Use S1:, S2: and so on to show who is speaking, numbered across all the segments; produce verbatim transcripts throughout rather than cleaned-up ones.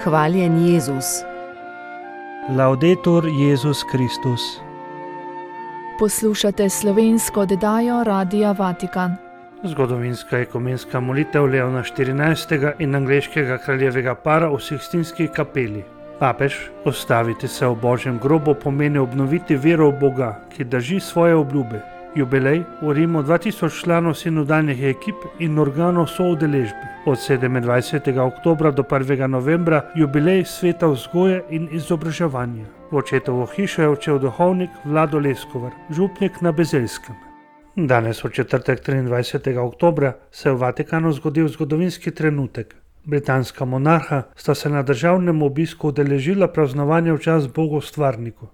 S1: Hvaljen Jezus.
S2: Laudetur Jezus Kristus.
S3: Poslušate slovensko oddajo Radia Vatikan.
S2: Zgodovinska ekumenska molitev Leona štirinajstega in angleškega kraljevega para v Sikstinski kapeli. Papež, ustaviti se v Božjem grobu pomeni obnoviti vero v Boga, ki drži svoje obljube. Jubilej v Rimu dva tisoč članov sinodalnih ekip in organov soudeležbe. Od sedemindvajsetega oktobra do prvega novembra jubilej sveta vzgoje in izobraževanja. V očetovo hišo je odšel duhovnik Vlado Leskovar, župnik na Bezelskem. Danes v četrtek triindvajsetega oktobra se je v Vatikanu zgodil zgodovinski trenutek. Britanska monarha sta se na državnem obisku udeležila praznovanja v čast Bogu stvarniku.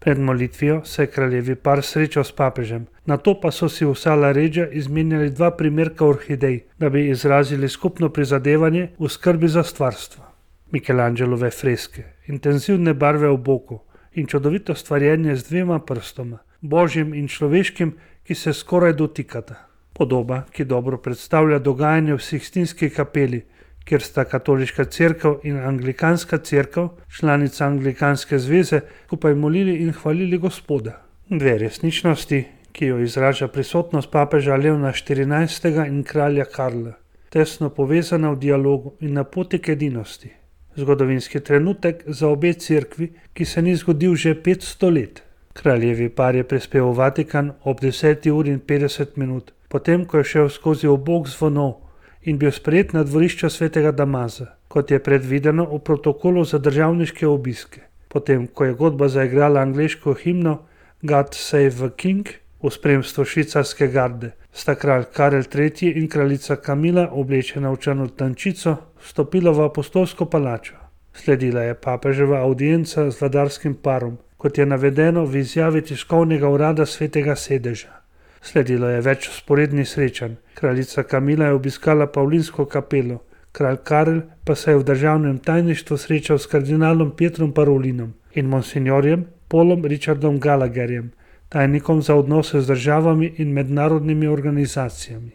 S2: Pred molitvijo se je kraljevi par srečal s papežem, nato pa so si v Sala Reggia izmenjali dva primerka orhidej, da bi izrazili skupno prizadevanje v skrbi za stvarstvo. Michelangelove freske, intenzivne barve v boku in čudovito stvarjenje z dvema prstoma, božjim in človeškim, ki se skoraj dotikata. Podoba, ki dobro predstavlja dogajanje v Sikstinski kapeli, kjer sta katoliška cerkev in anglikanska cerkev, članica anglikanske zveze, skupaj molili in hvalili Gospoda. Dve resničnosti, ki jo izraža prisotnost papeža Leona štirinajstega in kralja Karla, tesno povezana v dialogu in na poti k edinosti. Zgodovinski trenutek za obe cerkvi, ki se ni zgodil že petsto let. Kraljevi par je prispel v Vatikan ob deseti uri in petdeset minut, potem ko je šel skozi obok zvonov in bil sprejet na dvorišču svetega Damaza, kot je predvideno v protokolu za državniške obiske. Potem, ko je godba zaigrala angleško himno God Save the King v spremstvu švicarske garde, sta kralj Karel tretji in kraljica Kamila, oblečena v črno tančico, vstopila v apostolsko palačo. Sledila je papeževa avdienca z vladarskim parom, kot je navedeno v izjavi tiskovnega urada svetega sedeža. Sledilo je več sporednih srečanj. Kraljica Kamila je obiskala Pavlinsko kapelo, kralj Karel pa se je v državnem tajništvu srečal s kardinalom Pietrom Parolinom in monsinjorjem Paulom Richardom Gallagherjem, tajnikom za odnose z državami in mednarodnimi organizacijami.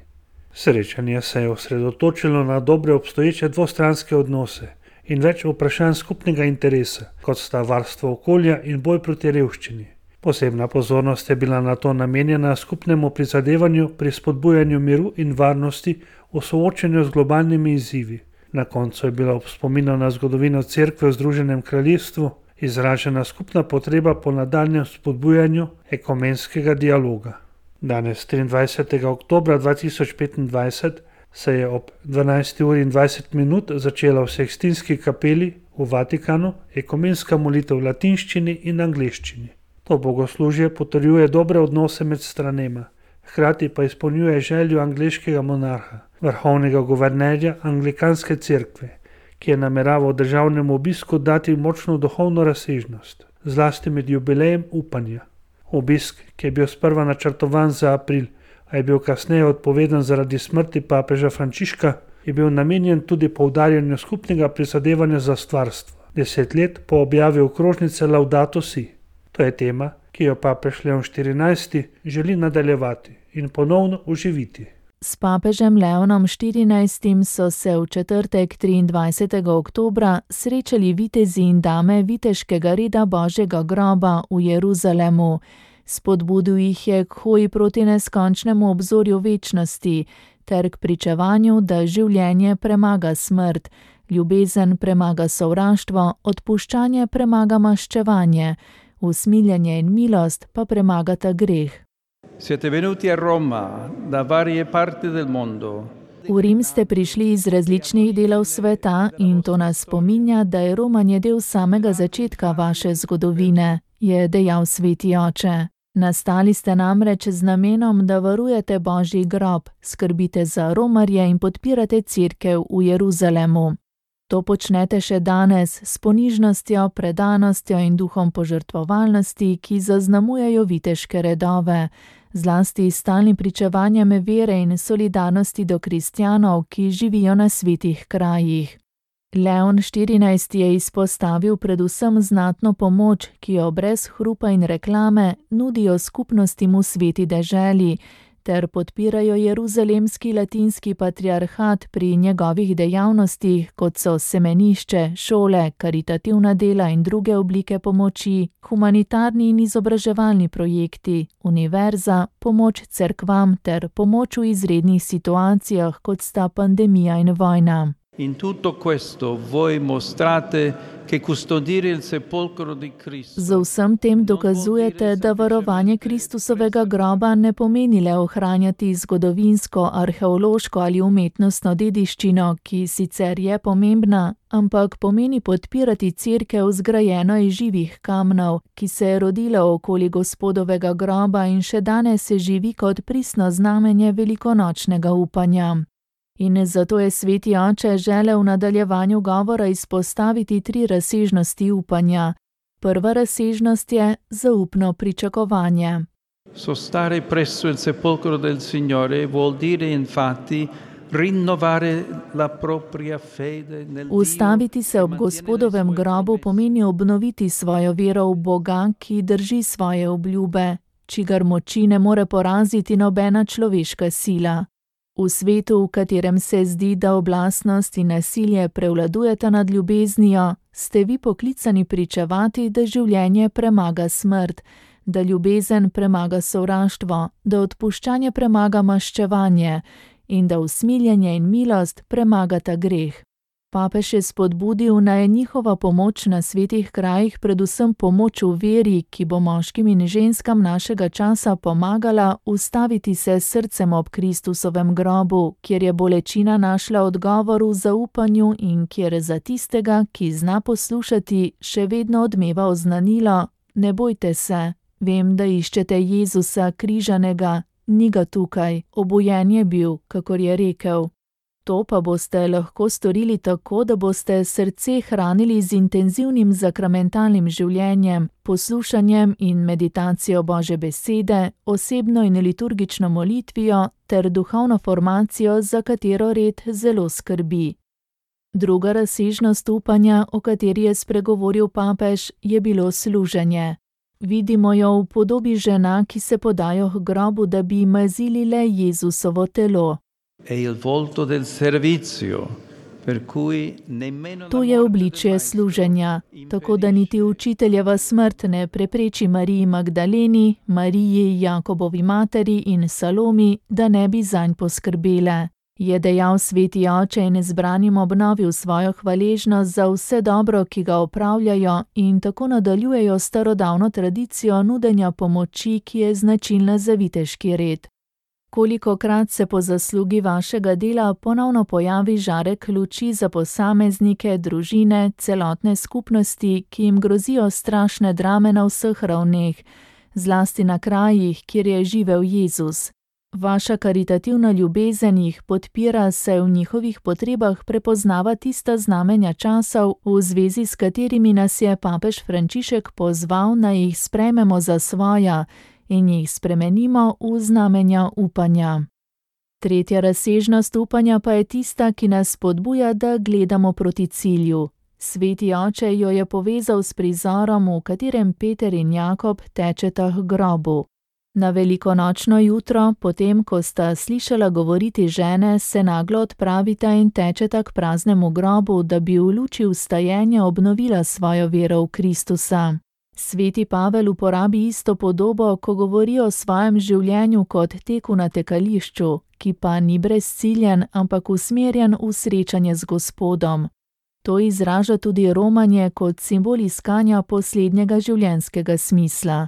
S2: Srečanje se je osredotočilo na dobre obstoječe dvostranske odnose in več vprašanj skupnega interesa, kot sta varstvo okolja in boj proti revščini. Posebna pozornost je bila na to namenjena skupnemu prizadevanju pri spodbujanju miru in varnosti v soočenju z globalnimi izzivi. Na koncu je bila ob spominu na zgodovino cerkve v Združenem kraljestvu izražena skupna potreba po nadaljnjem spodbujanju ekumenskega dialoga. Danes, triindvajsetega oktobra dva tisoč petindvajset, se je ob dvanajsti uri in dvajset minut začela v Sikstinski kapeli v Vatikanu ekumenska molitev v latinščini in angleščini. To bogoslužje potrjuje dobre odnose med stranema, hkrati pa izpolnjuje željo angleškega monarha, vrhovnega guvernerja anglikanske cerkve, ki je nameraval državnemu obisku dati močno duhovno razsežnost, zlasti med jubilejem upanja. Obisk, ki je bil sprva načrtovan za april, a je bil kasneje odpovedan zaradi smrti papeža Frančiška, je bil namenjen tudi poudarjanju skupnega prizadevanja za stvarstvo, deset let po objavi okrožnice Laudato Si. To je tema, ki jo papež Leon štirinajsti želi nadaljevati in ponovno oživiti.
S3: S papežem Leonom štirinajstim so se v četrtek triindvajsetega oktobra srečali vitezi in dame viteškega reda Božjega groba v Jeruzalemu. Spodbudil jih je k hoji proti neskončnemu obzorju večnosti ter k pričevanju, da življenje premaga smrt, ljubezen premaga sovraštvo, odpuščanje premaga maščevanje, usmiljenje in milost pa premagata greh.
S4: Siete venuti a Roma da varie parti del mondo.
S3: V Rim ste prišli iz različnih delov sveta in to nas spominja, da je romanje del samega začetka vaše zgodovine, je dejal sveti oče. Nastali ste namreč z namenom, da varujete Božji grob, skrbite za romarje in podpirate cerkev v Jeruzalemu. To počnete še danes s ponižnostjo, predanostjo in duhom požrtvovalnosti, ki zaznamujejo viteške redove, zlasti s stalnim pričevanjem vere in solidarnosti do kristjanov, ki živijo na svetih krajih. Leon štirinajsti je izpostavil predvsem znatno pomoč, ki jo brez hrupa in reklame nudijo skupnostim v sveti deželi, ter podpirajo jeruzalemski latinski patriarhat pri njegovih dejavnostih, kot so semenišče, šole, karitativna dela in druge oblike pomoči, humanitarni in izobraževalni projekti, univerza, pomoč cerkvam ter pomoč v izrednih situacijah, kot sta pandemija in vojna.
S4: In tutto questo voi mostrate che custodire il sepolcro di Cristo.
S3: Z vsem tem dokazujete, da varovanje Kristusovega groba ne pomeni le ohranjati zgodovinsko, arheološko ali umetnostno dediščino, ki sicer je pomembna, ampak pomeni podpirati cerkev zgrajeno iz živih kamnov, ki se je rodila okoli Gospodovega groba in še danes se živi kot pristno znamenje velikonočnega upanja. In zato je sveti oče želel v nadaljevanju govora izpostaviti tri razsežnosti upanja. Prva razsežnost je zaupno pričakovanje.
S4: Sostare presso il sepolcro del Signore vuol dire infatti rinnovare la propria fede nel Dio.
S3: Ustaviti se ob Gospodovem grobu pomeni obnoviti svojo vero v Boga, ki drži svoje obljube, čigar moči ne more poraziti nobena človeška sila. V svetu, v katerem se zdi, da oblastnost in nasilje prevladujeta nad ljubeznijo, ste vi poklicani pričevati, da življenje premaga smrt, da ljubezen premaga sovraštvo, da odpuščanje premaga maščevanje in da usmiljenje in milost premagata greh. Papež je spodbudil, naj je njihova pomoč na svetih krajih predvsem pomoč v veri, ki bo moškim in ženskam našega časa pomagala ustaviti se s srcem ob Kristusovem grobu, kjer je bolečina našla odgovor v zaupanju in kjer za tistega, ki zna poslušati, še vedno odmeva oznanilo: ne bojte se, vem, da iščete Jezusa križanega, ni ga tukaj, obujen je bil, kakor je rekel. To pa boste lahko storili tako, da boste srce hranili z intenzivnim sakramentalnim življenjem, poslušanjem in meditacijo Božje besede, osebno in liturgično molitvijo ter duhovno formacijo, za katero red zelo skrbi. Druga razsežnost upanja, o kateri je spregovoril papež, je bilo služenje. Vidimo jo v podobi žena, ki se podajo k grobu, da bi mazili le Jezusovo telo. To je obličje služenja, tako da niti učiteljeva smrt ne prepreči Mariji Magdaleni, Mariji Jakobovi materi in Salomi, da ne bi zanj poskrbele. Je dejal sveti oče in zbranim obnovil svojo hvaležnost za vse dobro, ki ga opravljajo, in tako nadaljujejo starodavno tradicijo nudenja pomoči, ki je značilna za viteški red. Kolikokrat se po zaslugi vašega dela ponovno pojavi žarek luči za posameznike, družine, celotne skupnosti, ki jim grozijo strašne drame na vseh ravneh, zlasti na krajih, kjer je živel Jezus. Vaša karitativna ljubezen jih podpira, saj v njihovih potrebah prepoznava tista znamenja časov, v zvezi s katerimi nas je papež Frančišek pozval, naj jih sprejmemo za svoja in jih spremenimo v znamenja upanja. Tretja razsežnost upanja pa je tista, ki nas spodbuja, da gledamo proti cilju. Sveti oče jo je povezal s prizorom, v katerem Peter in Jakob tečeta k grobu. Na velikonočno jutro, potem ko sta slišala govoriti žene, se naglo odpravita in tečeta k praznemu grobu, da bi v luči vstajenja obnovila svojo vero v Kristusa. Sveti Pavel uporabi isto podobo, ko govori o svojem življenju kot teku na tekališču, ki pa ni brezciljen, ampak usmerjen v srečanje z Gospodom. To izraža tudi romanje kot simbol iskanja poslednjega življenjskega smisla.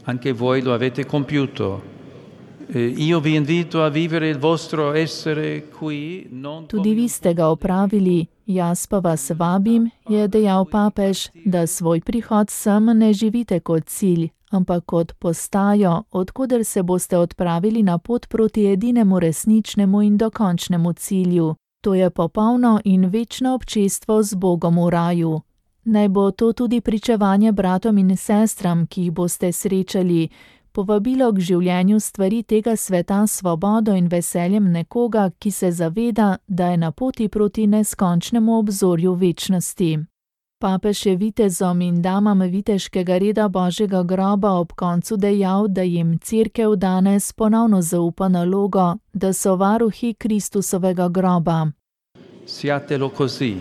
S4: Anche voi lo avete compiuto. Io vi invito a vivere il vostro essere qui non
S3: Tudi vi ste ga opravili, jaz pa vas vabim, je dejal papež, da svoj prihod sem ne živite kot cilj, ampak kot postajo, odkuder se boste odpravili na pot proti edinemu resničnemu in dokončnemu cilju. To je popolno in večno občestvo z Bogom v raju. Naj bo to tudi pričevanje bratom in sestram, ki jih boste srečali, povabilo k življenju stvari tega sveta s svobodo in veseljem nekoga, ki se zaveda, da je na poti proti neskončnemu obzorju večnosti. Papež je vitezom in damam viteškega reda Božjega groba ob koncu dejal, da jim Cerkev danes ponovno zaupa nalogo, da so varuhi Kristusovega groba.
S4: Siatelo così,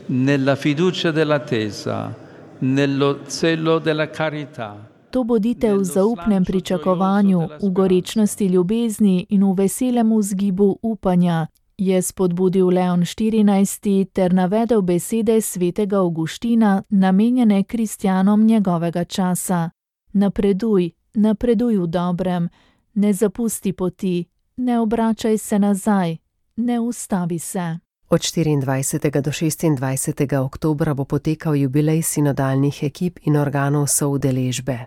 S4: nella fiducia dell'attesa, nello zelo della carità.
S3: To bodite v zaupnem pričakovanju, v gorečnosti ljubezni in v veselem vzgibu upanja, je spodbudil Leon štirinajsti ter navedel besede svetega Avguština, namenjene kristjanom njegovega časa. Napreduj, napreduj v dobrem, ne zapusti poti, ne obračaj se nazaj, ne ustavi se.
S1: Od štiriindvajsetega do šestindvajsetega oktobra bo potekal jubilej sinodalnih ekip in organov soudeležbe.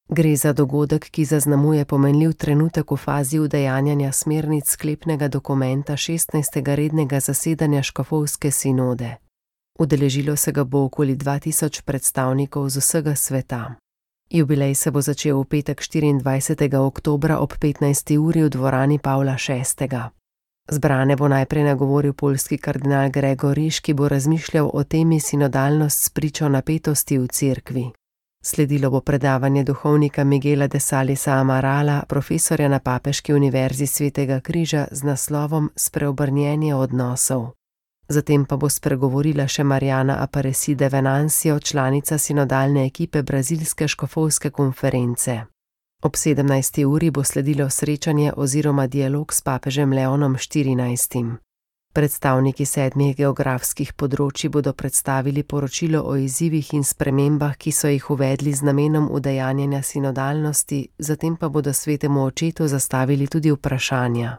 S1: Gre za dogodek, ki zaznamuje pomenljiv trenutek v fazi udejanjanja smernic sklepnega dokumenta šestnajstega rednega zasedanja škofovske sinode. Udeležilo se ga bo okoli dva tisoč predstavnikov z vsega sveta. Jubilej se bo začel v petek štiriindvajsetega oktobra ob petnajsti uri v dvorani Pavla šestega. Zbrane bo najprej nagovoril poljski kardinal Gregor Risch, ki bo razmišljal o temi sinodalnost s pričo napetosti v cerkvi. Sledilo bo predavanje duhovnika Miguela de Salisa Amarala, profesorja na Papeški univerzi Svetega križa z naslovom Spreobrnjenje odnosov. Zatem pa bo spregovorila še Mariana Aparecida Venancio, članica sinodalne ekipe brazilske škofovske konference. Ob sedemnajsti uri bo sledilo srečanje oziroma dialog s papežem Leonom štirinajstim. Predstavniki sedmih geografskih področji bodo predstavili poročilo o izzivih in spremembah, ki so jih uvedli z namenom udejanjanja sinodalnosti, zatem pa bodo svetemu očetu zastavili tudi vprašanja.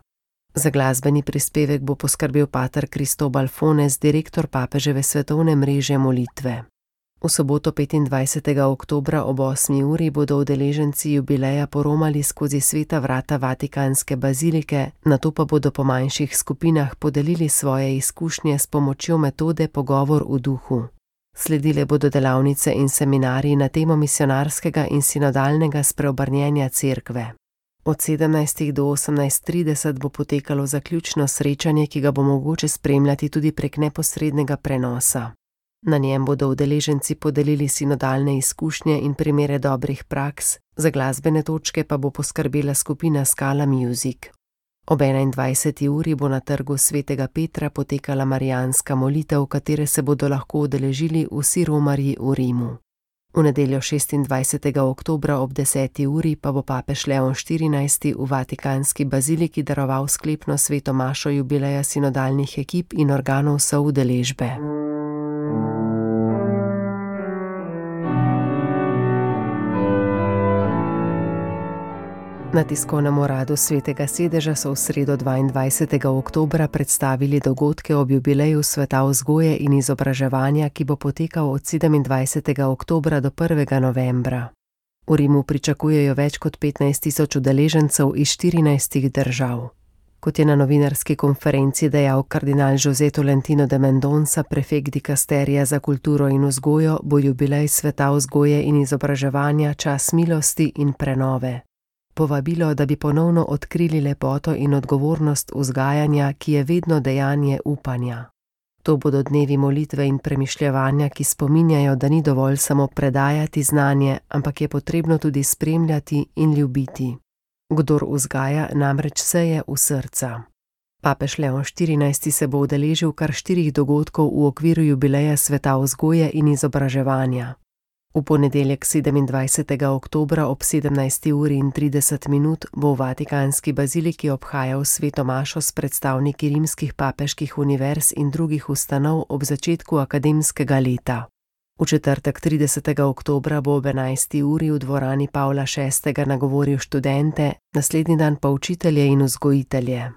S1: Za glasbeni prispevek bo poskrbel pater Cristobal Fones, direktor papeževe svetovne mreže molitve. V soboto petindvajsetega oktobra ob osmi uri bodo udeleženci jubileja poromali skozi sveta vrata Vatikanske bazilike, nato pa bodo po manjših skupinah podelili svoje izkušnje s pomočjo metode Pogovor v duhu. Sledile bodo delavnice in seminarji na temo misionarskega in sinodalnega spreobrnjenja cerkve. Od sedemnajstih do osemnajst trideset bo potekalo zaključno srečanje, ki ga bo mogoče spremljati tudi prek neposrednega prenosa. Na njem bodo udeleženci podelili sinodalne izkušnje in primere dobrih praks, za glasbene točke pa bo poskrbela skupina Scala Music. Ob enaindvajseti uri bo na trgu Svetega Petra potekala marijanska molitev, v katere se bodo lahko udeležili vsi romarji v Rimu. V nedeljo šestindvajsetega oktobra ob deseti uri pa bo papež Leon štirinajsti v Vatikanski baziliki daroval sklepno sveto mašo jubileja sinodalnih ekip in organov soudeležbe. Na tiskovnem uradu Svetega sedeža so v sredo dvaindvajsetega oktobra predstavili dogodke ob jubileju sveta vzgoje in izobraževanja, ki bo potekal od sedemindvajsetega oktobra do prvega novembra. V Rimu pričakujejo več kot petnajst tisoč udeležencev iz štirinajstih držav. Kot je na novinarski konferenci dejal kardinal José Tolentino de Mendonça, prefekt dikasterija za kulturo in vzgojo, bo jubilej sveta vzgoje in izobraževanja čas milosti in prenove. Povabilo, da bi ponovno odkrili lepoto in odgovornost vzgajanja, ki je vedno dejanje upanja. To bodo dnevi molitve in premišljevanja, ki spominjajo, da ni dovolj samo predajati znanje, ampak je potrebno tudi spremljati in ljubiti. Kdor vzgaja, namreč seje v srca. Papež Leon štirinajsti se bo udeležil kar štirih dogodkov v okviru jubileja sveta vzgoje in izobraževanja. V ponedeljek sedemindvajsetega oktobra ob sedemnajsti uri in trideset minut bo v Vatikanski baziliki obhajal sveto mašo s predstavniki rimskih papeških univerz in drugih ustanov ob začetku akademskega leta. V četrtek tridesetega oktobra bo ob enajsti uri v dvorani Pavla šestega nagovoril študente, naslednji dan pa učitelje in vzgojitelje.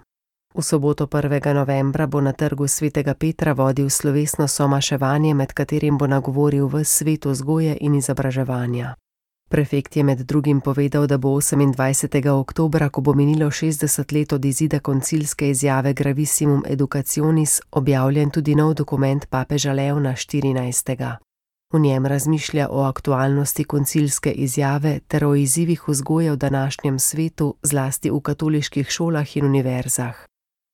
S1: V soboto prvega novembra bo na trgu Svetega Petra vodil slovesno somaševanje, med katerim bo nagovoril ves svet vzgoje in izobraževanja. Prefekt je med drugim povedal, da bo osemindvajsetega oktobra, ko bo minilo šestdeset let od izida koncilske izjave Gravissimum Educationis, objavljen tudi nov dokument papeža Leona štirinajstega. V njem razmišlja o aktualnosti koncilske izjave ter o izzivih vzgoje v današnjem svetu, zlasti v katoliških šolah in univerzah.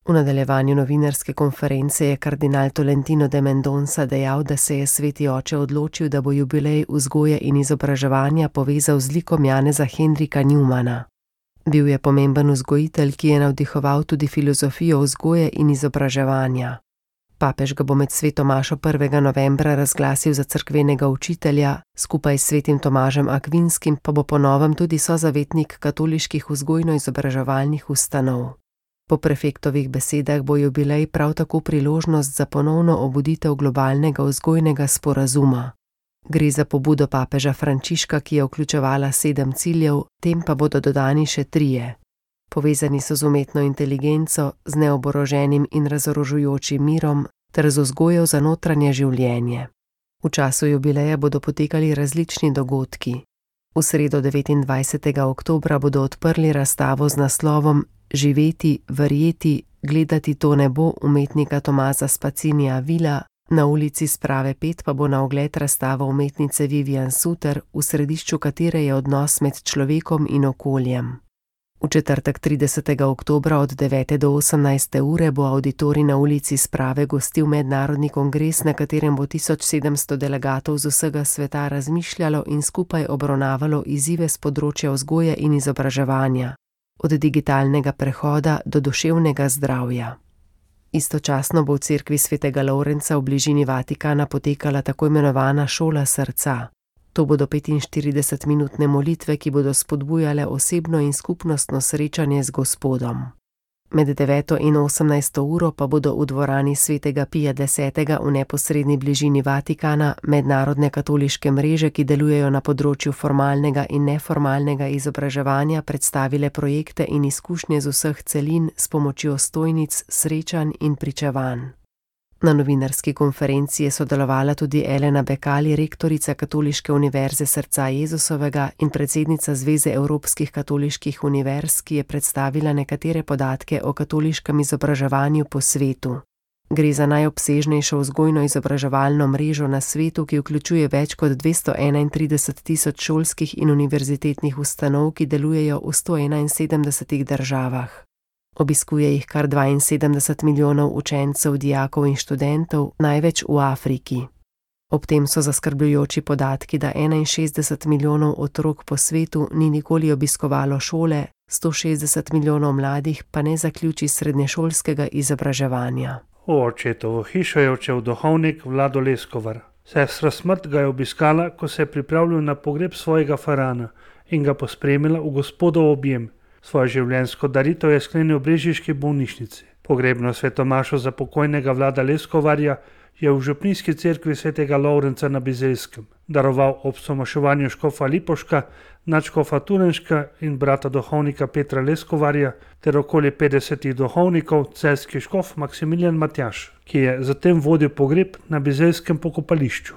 S1: V nadaljevanju novinarske konference je kardinal Tolentino de Mendonca dejal, da se je sveti oče odločil, da bo jubilej vzgoje in izobraževanja povezal z likom Janeza Hendrika Newmana. Bil je pomemben vzgojitelj, ki je navdihoval tudi filozofijo vzgoje in izobraževanja. Papež ga bo med sveto mašo prvega novembra razglasil za cerkvenega učitelja, skupaj s svetim Tomažem Akvinskim pa bo po novem tudi sozavetnik katoliških vzgojno-izobraževalnih ustanov. Po prefektovih besedah bo jubilej prav tako priložnost za ponovno obuditev globalnega vzgojnega sporazuma. Gre za pobudo papeža Frančiška, ki je vključevala sedem ciljev, tem pa bodo dodani še trije. Povezani so z umetno inteligenco, z neoboroženim in razorožujočim mirom ter z vzgojo za notranje življenje. V času jubileja bodo potekali različni dogodki. V sredo devetindvajsetega oktobra bodo odprli razstavo z naslovom Živeti, verjeti, gledati to nebo umetnika Tomaza Spacinija Vila, na ulici Sprave pet pa bo na ogled razstava umetnice Vivian Suter, v središču katere je odnos med človekom in okoljem. V četrtek tridesetega oktobra od devete do osemnajste ure bo avditorij na ulici Sprave gostil mednarodni kongres, na katerem bo tisoč sedemsto delegatov z vsega sveta razmišljalo in skupaj obravnavalo izzive s področja vzgoje in izobraževanja, od digitalnega prehoda do duševnega zdravja. Istočasno bo v cerkvi svetega Lovrenca v bližini Vatikana potekala tako imenovana šola srca. To bodo petinštiridesetminutne molitve, ki bodo spodbujale osebno in skupnostno srečanje z Gospodom. Med deveto in osemnajsto uro pa bodo v dvorani svetega Pija desetega v neposredni bližini Vatikana mednarodne katoliške mreže, ki delujejo na področju formalnega in neformalnega izobraževanja, predstavile projekte in izkušnje z vseh celin s pomočjo stojnic, srečanj in pričevanj. Na novinarski konferenci je sodelovala tudi Elena Bekali, rektorica Katoliške univerze Srca Jezusovega in predsednica Zveze evropskih katoliških univerz, ki je predstavila nekatere podatke o katoliškem izobraževanju po svetu. Gre za najobsežnejšo vzgojno-izobraževalno mrežo na svetu, ki vključuje več kot dvesto enaintrideset tisoč šolskih in univerzitetnih ustanov, ki delujejo v sto enainsedemdesetih državah. Obiskuje jih kar dvainsedemdeset milijonov učencev, dijakov in študentov, največ v Afriki. Ob tem so zaskrbljujoči podatki, da enainšestdeset milijonov otrok po svetu ni nikoli obiskovalo šole, sto šestdeset milijonov mladih pa ne zaključi srednješolskega izobraževanja.
S2: V očetovo hišo je odšel duhovnik Vlado Leskovar. Sestra Smrt ga je obiskala, ko se je pripravljal na pogreb svojega farana in ga pospremila v Gospodov objem. Svojo življenjsko daritev je sklenil v brežiški bolnišnici. Pogrebno svetomašo za pokojnega Vlada Leskovarja je v župnijski cerkvi svetega Lovrenca na Bizeljskem daroval ob somaševanju škofa Lipoška, nadškofa Turenška in brata duhovnika Petra Leskovarja ter okoli petdesetih duhovnikov celjski škof Maksimilijan Matjaž, ki je zatem vodil pogreb na bizeljskem pokopališču.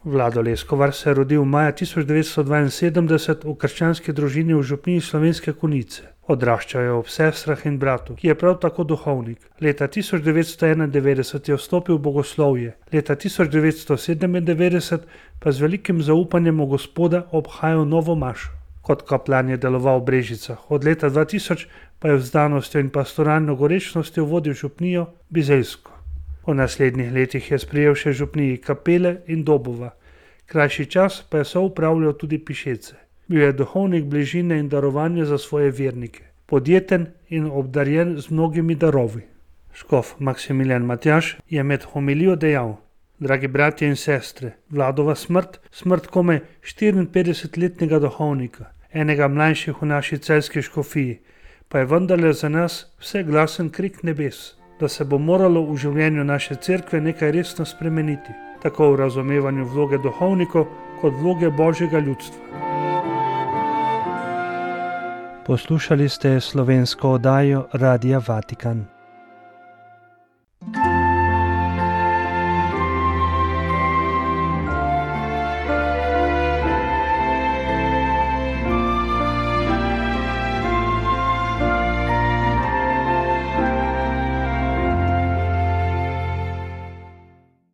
S2: Vlado Leskovar se je rodil maja tisoč devetsto dvainsedemdeset v krščanski družini v župniji Slovenske Konjice. Odraščal je ob sestrah in bratu, ki je prav tako duhovnik. Leta tisoč devetsto enaindevetdeset je vstopil v bogoslovje, leta tisoč devetsto sedemindevetdeset pa z velikim zaupanjem v Gospoda obhajal novo mašo. Kot kaplan je deloval v Brežicah, od leta dva tisoč pa je vzdanostjo in pastoralno gorečnostjo vodil župnijo Bizeljsko. V naslednjih letih je sprejel še župniji Kapele in Dobova, krajši čas pa je soupravljal tudi Pišece. Bil je duhovnik bližine in darovanja za svoje vernike, podjeten in obdarjen z mnogimi darovi. Škof Maksimilijan Matjaž je med homilijo dejal: Dragi bratje in sestre, Vladova smrt, smrt komaj štiriinpetdesetletnega duhovnika, enega mlajših v naši celjski škofiji, pa je vendarle za nas vse glasen krik nebes, da se bo moralo v življenju naše cerkve nekaj resno spremeniti, tako v razumevanju vloge duhovnikov kot vloge Božjega ljudstva. Poslušali ste slovensko oddajo Radia Vatikan.